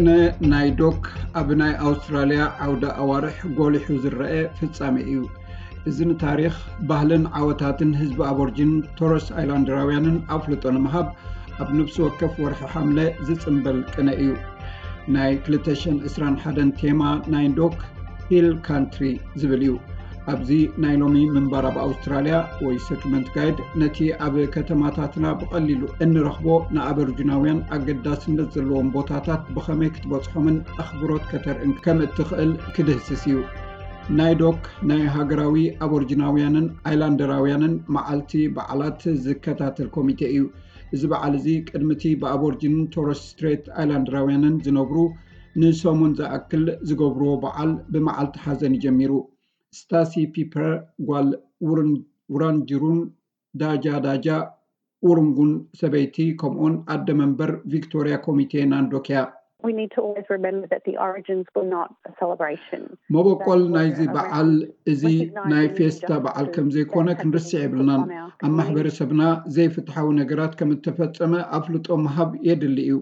ቅነ ናይ ዶክ ኣብ ናይ ኣውስትራልያ ዓውደ ኣዋርሕ ጎሊሑ ዝረአ ፍጻሜ እዩ። እዚ ንታሪኽ፣ ባህልን ዓወታትን ህዝቢ ኣቦርጂን ቶረስ ኣይላንድራውያንን ኣፍልጦ ንምሃብ ኣብ ነፍሲ ወከፍ ወርሒ ሓምለ ዝጽንበል ቅነ እዩ። ናይ ክልተ ሽሕን ዕስራን ሓደን ቴማ ናይ ዶክ ሂል ካንትሪ ዝብል እዩ። ኣብዚ ናይ ሎሚ ምንባር ኣብ ኣውስትራልያ ወይ ሰትልመንት ጋይድ ነቲ ኣብ ከተማታትና ብቐሊሉ እንረኽቦ ንኣበርጅናውያን ኣገዳስነት ዘለዎም ቦታታት ብኸመይ ክትበጽሖምን ኣኽብሮት ከተርእን ከም እትኽእል ክድህስስ እዩ። ናይ ዶክ ናይ ሃገራዊ ኣቦርጅናውያንን ኣይላንደራውያንን መዓልቲ በዓላት ዝከታተል ኮሚቴ እዩ። እዚ በዓል እዚ ቅድሚ እቲ ብኣቦርጅንን ቶረስ ስትሬት ኣይላንደራውያንን ዝነብሩ ንሰሙን ዝኣክል ዝገብርዎ በዓል ብመዓልቲ ሓዘን እዩ ጀሚሩ። ስታሲ ፒፐር ጓል ውራንጅሩን ዳጃ ዳጃ ኡሩንጉን ሰበይቲ ከምኡውን ኣደ መንበር ቪክቶርያ ኮሚቴ ናንዶክ እያ። We need to always remember that the origins were not a celebration. መበቆል ናይዚ በዓል እዚ ናይ ፌስታ በዓል ከም ዘይኮነ ክንርስዕ የብልናን። ኣብ ማሕበረሰብና ዘይፍትሓዊ ነገራት ከም እተፈጸመ ኣፍልጦ ምሃብ የድሊ እዩ።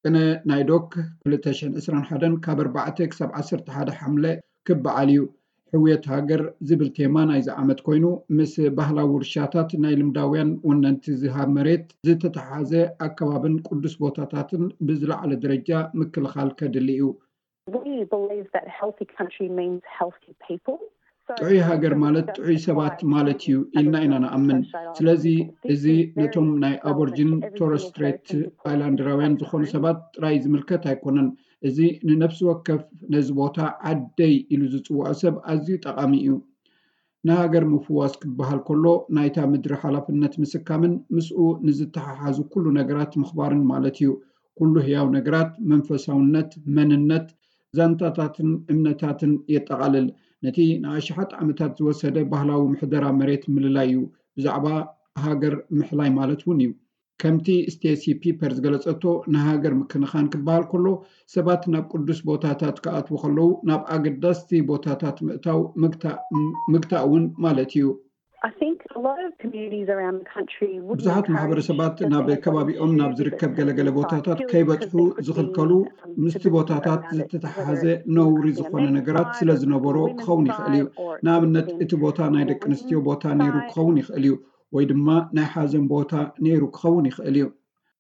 ቅነ ናይ ዶክ ክልተ ሽሕን ዕስራን ሓደን ካብ ኣርባዕተ ክሳብ ዓሰርተ ሓደ ሓምለ ክበዓል እዩ። ሕውየት ሃገር ዝብል ቴማ ናይዚ ዓመት ኮይኑ፣ ምስ ባህላዊ ውርሻታት ናይ ልምዳውያን ወነንቲ ዝሃብ መሬት ዝተተሓሓዘ ኣከባብን ቅዱስ ቦታታትን ብዝለዓለ ደረጃ ምክልኻል ከድሊ እዩ። We believe that healthy country means healthy people. ጥዑይ ሃገር ማለት ጥዑይ ሰባት ማለት እዩ ኢልና ኢና ንኣምን። ስለዚ እዚ ነቶም ናይ ኣቦርጂን ቶረስ ስትሬት ኣይላንድራውያን ዝኾኑ ሰባት ጥራይ ዝምልከት ኣይኮነን። እዚ ንነፍሲ ወከፍ ነዚ ቦታ ዓደይ ኢሉ ዝጽውዖ ሰብ ኣዝዩ ጠቓሚ እዩ። ንሃገር ምፍዋስ ክበሃል ከሎ ናይታ ምድሪ ሓላፍነት ምስካምን ምስኡ ንዝተሓሓዙ ኩሉ ነገራት ምኽባርን ማለት እዩ። ኩሉ ህያው ነገራት፣ መንፈሳውነት፣ መንነት፣ ዛንታታትን እምነታትን የጠቓልል። ነቲ ንኣሽሓት ዓመታት ዝወሰደ ባህላዊ ምሕደራ መሬት ምልላይ እዩ። ብዛዕባ ሃገር ምሕላይ ማለት እውን እዩ። ከምቲ ስቴሲ ፒፐር ዝገለጸቶ፣ ንሃገር ምክንኻን ክበሃል ከሎ ሰባት ናብ ቅዱስ ቦታታት ክኣትዉ ከለዉ ናብ ኣገዳስቲ ቦታታት ምእታው ምግታእ እውን ማለት እዩ። I think a lot of communities around the country wouldn't ብዙሓት ማሕበረሰባት ናብ ከባቢኦም ናብ ዝርከብ ገለገለ ቦታታት ከይበጽሑ ዝኽልከሉ ምስቲ ቦታታት ዝተተሓሓዘ ነውሪ ዝኾነ ነገራት ስለ ዝነበሮ ክኸውን ይኽእል እዩ። ንኣብነት እቲ ቦታ ናይ ደቂ ኣንስትዮ ቦታ ነይሩ ክኸውን ይኽእል እዩ፣ ወይ ድማ ናይ ሓዘን ቦታ ነይሩ ክኸውን ይኽእል እዩ።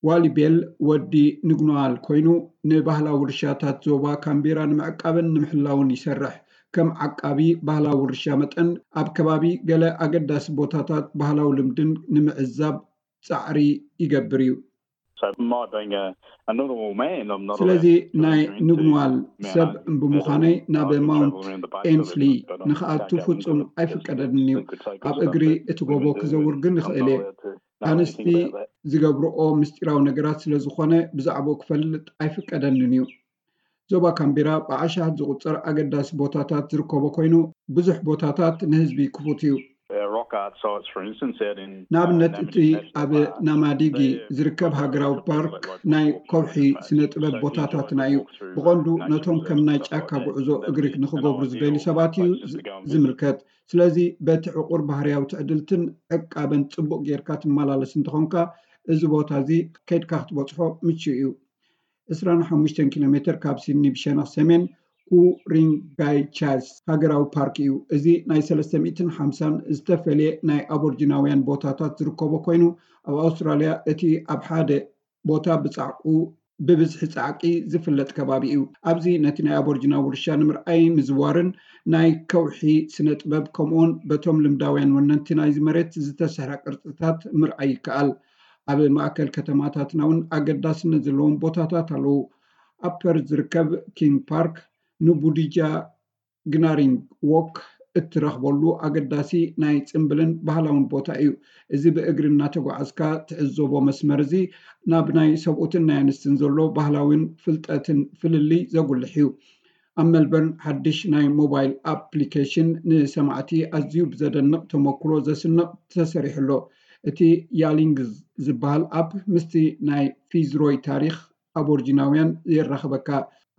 ዋሊ ቤል ወዲ ንግኖዋል ኮይኑ ንባህላዊ ውርሻታት ዞባ ካምቤራ ንምዕቃብን ንምሕላውን ይሰርሕ። ከም ዓቃቢ ባህላዊ ውርሻ መጠን ኣብ ከባቢ ገለ ኣገዳሲ ቦታታት ባህላዊ ልምድን ንምዕዛብ ጻዕሪ ይገብር እዩ። ስለዚ ናይ ንግኖዋል ሰብ ብምዃነይ ናብ ማውንት ኤንስሊ ንኽኣቱ ፍጹም ኣይፍቀደንን እዩ። ኣብ እግሪ እቲ ጎቦ ክዘውር ግን ይኽእል እየ። ኣንስቲ ዝገብርኦ ምስጢራዊ ነገራት ስለ ዝኾነ ብዛዕባኡ ክፈልጥ ኣይፍቀደንን እዩ። ዞባ ካምቤራ ብኣሽሓት ዝቑጸር ኣገዳሲ ቦታታት ዝርከቦ ኮይኑ ብዙሕ ቦታታት ንህዝቢ ክፉት እዩ። ንኣብነት እቲ ኣብ ናማዲጊ ዝርከብ ሃገራዊ ፓርክ ናይ ከውሒ ስነ ጥበብ ቦታታትና እዩ። ብቐንዱ ነቶም ከም ናይ ጫካ ጉዕዞ እግሪ ንኽገብሩ ዝደልዩ ሰባት እዩ ዝምልከት። ስለዚ በቲ ዕቑር ባህርያዊ ትዕድልትን ዕቃበን ጽቡቕ ጌርካ ትመላለስ እንተኾንካ እዚ ቦታ እዚ ከይድካ ክትበጽሖ ምቹእ እዩ። ዕስራን ሓሙሽተን ኪሎ ሜትር ካብ ሲድኒ ብሸነኽ ሰሜን ኩሪንጋይቻስ ሃገራዊ ፓርክ እዩ። እዚ ናይ ሰለስተ ሚእትን ሓምሳን ዝተፈልየ ናይ ኣቦርጂናውያን ቦታታት ዝርከቦ ኮይኑ ኣብ ኣውስትራልያ እቲ ኣብ ሓደ ቦታ ብጻዕቁ ብብዝሒ ጻዕቂ ዝፍለጥ ከባቢ እዩ። ኣብዚ ነቲ ናይ ኣቦርጂና ውርሻ ንምርኣይ ምዝዋርን ናይ ከውሒ ስነ ጥበብ ከምኡውን በቶም ልምዳውያን ወነንቲ ናይዚ መሬት ዝተሰሕረ ቅርጽታት ምርኣይ ይከኣል። ኣብ ማእከል ከተማታትና እውን ኣገዳስነት ዘለዎም ቦታታት ኣለዉ። ኣብ ፐርዝ ዝርከብ ኪንግ ፓርክ ንቡዲጃ ግናሪንግ ዎክ እትረኽበሉ ኣገዳሲ ናይ ጽምብልን ባህላውን ቦታ እዩ። እዚ ብእግሪ እናተጓዓዝካ ትዕዘቦ መስመር እዚ ናብ ናይ ሰብኡትን ናይ ኣንስትን ዘሎ ባህላውን ፍልጠትን ፍልልይ ዘጉልሕ እዩ። ኣብ ሜልበርን ሓድሽ ናይ ሞባይል ኣፕሊኬሽን ንሰማዕቲ ኣዝዩ ብዘደንቕ ተመክሮ ዘስንቕ ተሰሪሑ ኣሎ። እቲ ያሊንግዝ ዝበሃል ኣፕ ምስቲ ናይ ፊዝሮይ ታሪኽ ኣቦርጂናውያን የራኽበካ።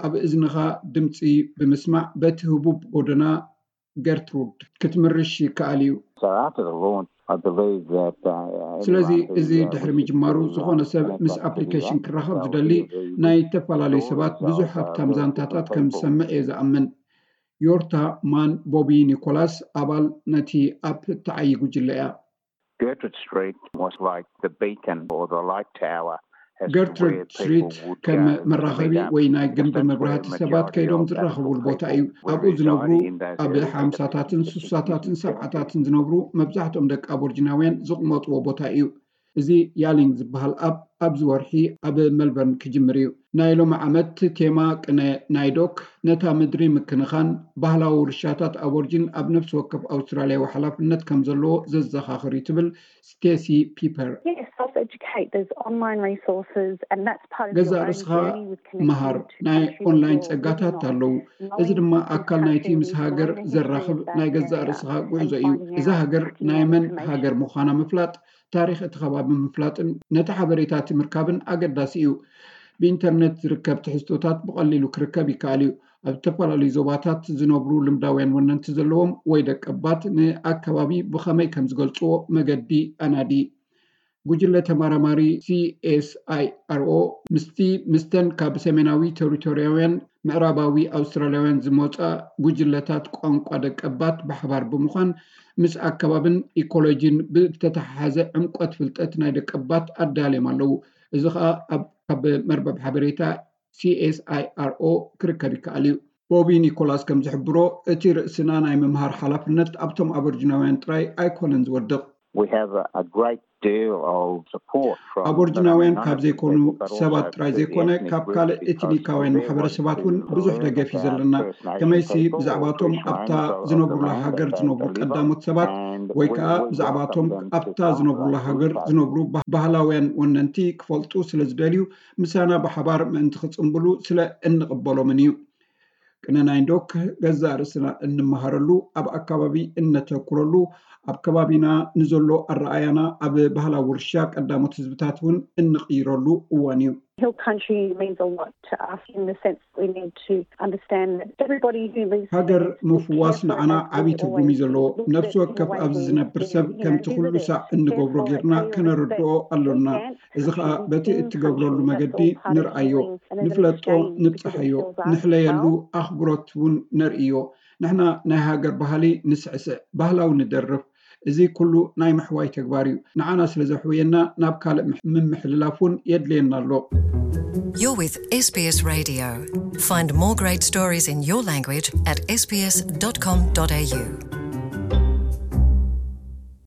ኣብ እዝንኻ ድምጺ ብምስማዕ በቲ ህቡብ ጎደና ገርትሩድ ክትምርሽ ይከኣል እዩ። So after the launch, ስለዚ እዚ ድሕሪ ምጅማሩ ዝኾነ ሰብ ምስ ኣፕሊኬሽን ክራኸብ ዝደሊ ናይ ዝተፈላለዩ ሰባት ብዙሕ ሃብታም ዛንታታት ከም ዝሰምዕ እየ ዝኣምን። ዮርታ ማን ቦቢ ኒኮላስ ኣባል ነቲ ኣፕ እተዓዪ ጉጅለ እያ። ገርትሩድ ስትሪት ከም መራኸቢ ወይ ናይ ግንብ መብራህቲ ሰባት ከይዶም ዝራኸቡሉ ቦታ እዩ። ኣብኡ ዝነብሩ ኣብ ሓምሳታትን ሱሳታትን ሰብዓታትን ዝነብሩ መብዛሕትኦም ደቂ ኣቦርጅናውያን ዝቕመጥዎ ቦታ እዩ። እዚ ያሊንግ ዝበሃል ኣፕ ኣብዚ ወርሒ ኣብ መልበርን ክጅምር እዩ። ናይ ሎሚ ዓመት ቴማ ቅነ ናይ ዶክ ነታ ምድሪ ምክንኻን ባህላዊ ውርሻታት ኣቦርጅን ኣብ ነፍሲ ወከፍ ኣውስትራልያዊ ሓላፍነት ከም ዘለዎ ዘዘኻኽር እዩ ትብል ስቴሲ ፒፐር። ገዛእ ርእስኻ መሃር፣ ናይ ኦንላይን ጸጋታት ኣለዉ። እዚ ድማ ኣካል ናይቲ ምስ ሃገር ዘራኽብ ናይ ገዛእ ርእስኻ ጉዕዞ እዩ። እዛ ሃገር ናይ መን ሃገር ምዃና ምፍላጥ፣ ታሪኽ እቲ ከባቢ ምፍላጥን ነቲ ሓበሬታ እቲ ምርካብን ኣገዳሲ እዩ። ብኢንተርነት ዝርከብ ትሕዝቶታት ብቐሊሉ ክርከብ ይከኣል እዩ። ኣብ ዝተፈላለዩ ዞባታት ዝነብሩ ልምዳውያን ወነንቲ ዘለዎም ወይ ደቀባት ንኣከባቢ ብኸመይ ከም ዝገልጽዎ መገዲ ኣናዲ። ጉጅለ ተመራማሪ ሲኤስኣይኣርኦ ምስቲ ምስተን ካብ ሰሜናዊ ቴሪቶርያውያን ምዕራባዊ ኣውስትራልያውያን ዝመጻ ጉጅለታት ቋንቋ ደቀባት ብሓባር ብምዃን ምስ ኣከባብን ኢኮሎጂን ብተተሓሓዘ ዕምቆት ፍልጠት ናይ ደቀባት ኣዳልዮም ኣለዉ። እዚ ኸኣ ኣብ ካብ መርበብ ሓበሬታ ሲኤስኣይኣርኦ ክርከብ ይከኣል እዩ። ቦቢ ኒኮላስ ከም ዝሕብሮ፣ እቲ ርእስና ናይ ምምሃር ሓላፍነት ኣብቶም ኣበርጅናውያን ጥራይ ኣይኮነን ዝወድቕ። ኣቦርጅናውያን ካብ ዘይኮኑ ሰባት ጥራይ ዘይኮነ፣ ካብ ካልእ ኤትኒካውያን ማሕበረሰባት እውን ብዙሕ ደገፍ እዩ ዘለና። ከመይሲ ብዛዕባቶም ኣብታ ዝነብሩላ ሃገር ዝነብሩ ቀዳሞት ሰባት ወይ ከዓ ብዛዕባቶም ኣብታ ዝነብሩላ ሃገር ዝነብሩ ባህላውያን ወነንቲ ክፈልጡ ስለ ዝደልዩ፣ ምሳና ብሓባር ምእንቲ ክጽንብሉ ስለ እንቕበሎምን እዩ። ቅነ ናይንዶክ ገዛእ ርእስና እንመሃረሉ፣ ኣብ ኣከባቢ እነተኩረሉ፣ ኣብ ከባቢና ንዘሎ ኣረኣያና ኣብ ባህላዊ ውርሻ ቀዳሞት ህዝብታት እውን እንቕይረሉ እዋን እዩ። ሃገር ምፍዋስ ንዓና ዓብዪ ትርጉም እዩ ዘለዎ። ነፍሲ ወከፍ ኣብዚ ዝነብር ሰብ ከምቲ ኩሉ ሳዕ እንገብሮ ጌርና ከነረድኦ ኣሎና። እዚ ኸኣ በቲ እትገብረሉ መገዲ ንርኣዮ፣ ንፍለጦ፣ ንብጽሓዮ፣ ንሕለየሉ ኣኽብሮት እውን ነርእዮ። ንሕና ናይ ሃገር ባህሊ ንስዕስዕ፣ ባህላዊ ንደርፍ። እዚ ኩሉ ናይ ምሕዋይ ተግባር እዩ። ንዓና ስለ ዘሕውየና ናብ ካልእ ምምሕልላፍ እውን የድልየና ኣሎ። You're with SBS Radio. Find more great stories in your language at sbs.com.au.